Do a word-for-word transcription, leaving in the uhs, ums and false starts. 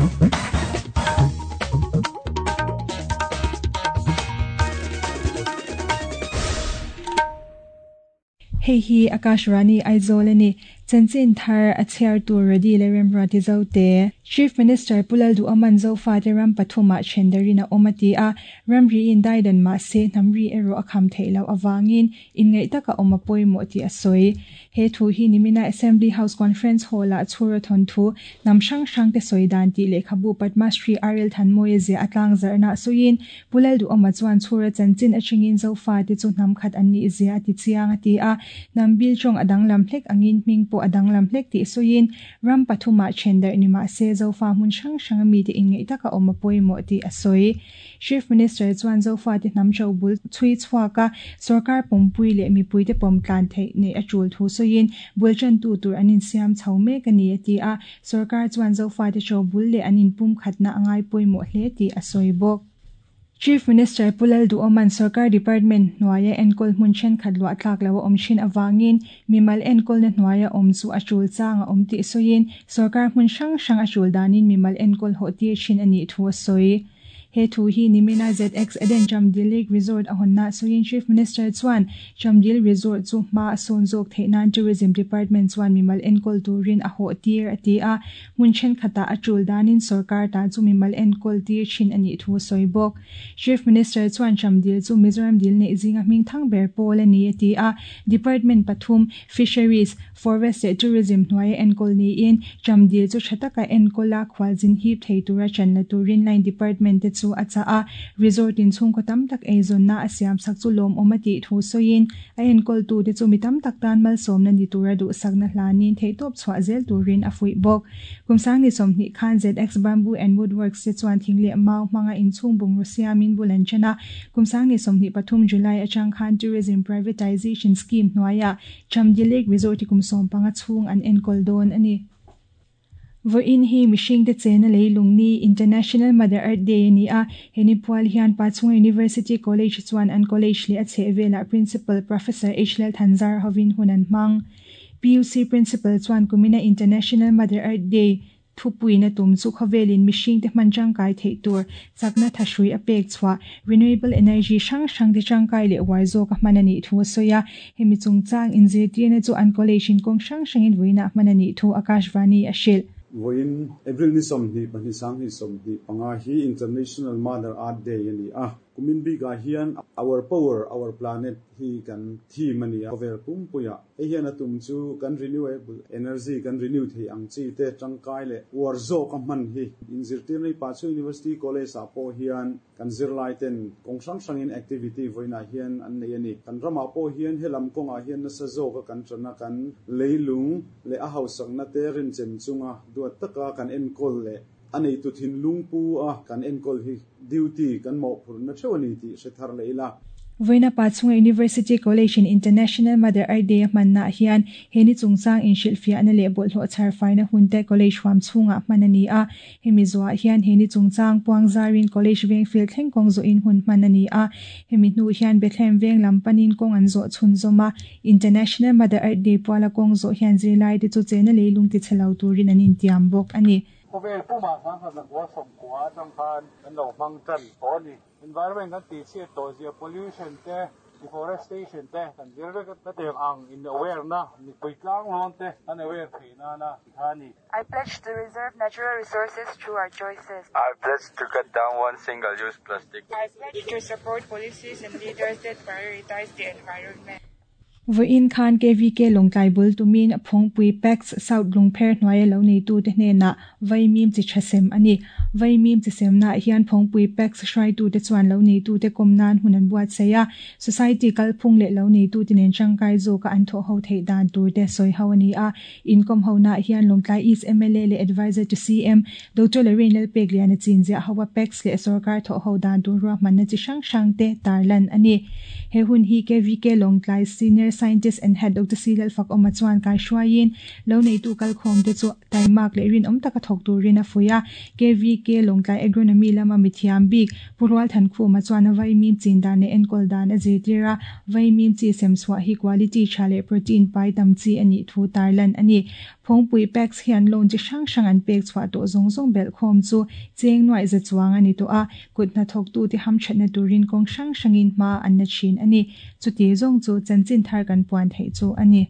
Hei hi Akashvani Aizawl ani chanchin thar a chhiar tur ready le remruati zote Chief Minister Pulal du aman zofa te ram pathuma thendarina omati a ramri in daidan ma se namri ero akham theilo awangin in ngai taka omapoi mo ti asoi he thu hi nimina Assembly House Conference Hall a chhura thon thu nam sang sang te soidan ti lekhabu Padma Shri R L Thanmoye ze atlang zarna soin Pulal du ama chuan chhura chanchin achingin zofa te chu nam khat anni zia ti chiang ati a nambil chong adang lam hlek angin ming po adang lam hlek ti soin ram pathuma chendar ni ma se zofa mun sang sang mi te ingai taka omapoi mo ti asoi Chief Minister chuan zofa te nam chau bul chui chhuaka sarkar pompui le mi pui te pom tlan thei ne achul thu soin bulchan tu tur anin siam chaume ka ni ati a sarkar chuan zofa te chau bul le anin pum khatna angai poi mo hle ti asoi bok Chief Minister Pulal du Oman Sarkar Department hnuaia enkol hmun thenkhat luah tlak lo a awm thin awangin mimal enkawl na hnuaia awm chu a tul changa awm tih sawiin sarkar hmun hrang hrang a tul danin mimal enkawl hawh tir thin a nih thu a sawi. He thu hi nimina Z X Eden Chamdil Lake Resort a hawnna sawiin Chief Minister chuan Chamdil Resort chu hma a sawn zawk theih nan Tourism Department chuan mimal enkawl turin a hawh tir a ti a hmun thenkhatah a tul danin sarkar ta chu mimal enkawl tir thin a nih thu a sawi bawk. Chief Minister chuan Chamdil chu Mizoram dil nei zinga hming thang ber pawl a ni a ti a Department pathum Fisheries, Forest leh Tourism hnuaia enkawl niin Chamdil chu tha taka enkawl a khualzin hip thei tura chanla turin line department te chu a cha a resort in chhung khaw tam tak eizawn na a siam sak chu lawm awm a tih thu sawiin a enkawl tu te chu mi tam tak tan malsawmna ni tura duhsakna hlanin theihtawp chhuah zel turin a fuih bawk. Kumsang ni sawmhnih khan Z X Bamboo and Woodworks te chuan thing leh mau hmanga inchhung bungru siamin bul an chen a kumsang ni sawmhnih pathum July atang khan Tourism Privatization Scheme hnuaia Chamdil Lake Resort hi kum sawm panga chhung an enkawl dawn a ni. Voin hi mihring te chena leilung ni International Mother Earth Day ni a heni pual hian Pachhunga University College chuan an college le a chhehvela Principal Professor H L Thanzar hovin hunan hmang P U C Principal chuan kumina International Mother Earth Day thupuina tum chu khawvelin mihring te hman tangkai theih tur chakna thahrui a pek chhuah renewable energy hrang hrang te tangkai leh uar zawk a hman a nih thu a sawi a hemi chungchang inzirtirna chu an college in kawng hrang hrangin vuina hman a nih thu Akashvani a hrilh. Voin April ni somni pahnih sangni somni panga hi International Mother Earth Day ani a kumin bi ga hian our power our planet hi kan theme ani a vel pumpuia he hian atum chu kan renewable energy kan renew thei ang chi te tangkai le war zo ka man hi inzirtir nei pa chu University College a po hian kan zirlai ten kong hrang hrangin activity voina hian an nei ani kan rama po hian helam konga hian na sa zo ka kan trana kan leilung le a hausakna te rin chem chunga duat taka kan enkol le anei tu thin lungpu a kan enkol hi duty kan mo phurna thewani ti sethar leila. Voina Pachhunga University College in International Mother Earth Day hmanna hian heni chungchang in hrilhfiah na leh bawlhhlawh chharfaina hunte college huam chhungah hman a ni a hemi zuah hian heni chungchang puang zarin college veng field thleng kawng zawh in hun hman a ni a hemi hnu hian Bethlehem veng lam panin kawng an zawh chhun zawm a International Mother Earth Day puala kawng zawh hian zirlai te chu chena leilung ti chhelo turin an intiam bawk a ni. Khawvel puma sang khat zakua sawmkua atang khan an lo hmang tan tawh a ni environment kan tih chhiat tawh zia pollution te deforestation te kan zir vek na tiang ang in aware na mipui tlang lawn te an aware thei na na tha ni. I pledge to reserve natural resources through our choices. I pledge to cut down one single use plastic. I pledge to support policies and leaders that prioritize the environment. Voin khan K V K Lawngtlai bul tumin Phawngpui Pax South Lungpher hnuaia lo nei tu te hnenah vaimim chi thasem ani vaimim chi semna hian Phawngpui Pax hrai tu te chuan lo nei tu te kawmnan hun an buat seia society kalphung leh lo nei tu te nen tangkai zawka an thawh ho theih dan tur te sawi ho ani a inkom ho na hian Lawngtlai East M L A leh advisor to C M Doctor Lorraine Lalpekliana chinzia hawa Pax leh sarkar thawh ho dan tur ruahmanna chi hrang hrang te tarlan ani he hun hi K V K Lawngtlai Senior Scientist and Head Doctor Silal Fak Oma chuan kai hruaiin lo nei tu kalkhawm te chu taimak leh rin awm taka thawk turin a fuia K V K Lawngtlai Agronomy lama mithiam bik Purwal Thankhuma chuan a vaimim chin dan leh enkawl dan a zirtir a vaimim chi sem chhuah hi quality tha leh protein pai tam chi ani thu tarlan ani Phawngpui PACS hian loan chi hrang hrang an pek chhuah tawh zawng zawng belh khawm chu cheng nuai za chuang a ni tawh a, kut hnathawktute hamthatna turin kawng hrang hrangin hma an la thin a ni. Chuti zawng chu chanchin thar kan puan theih chu a ni.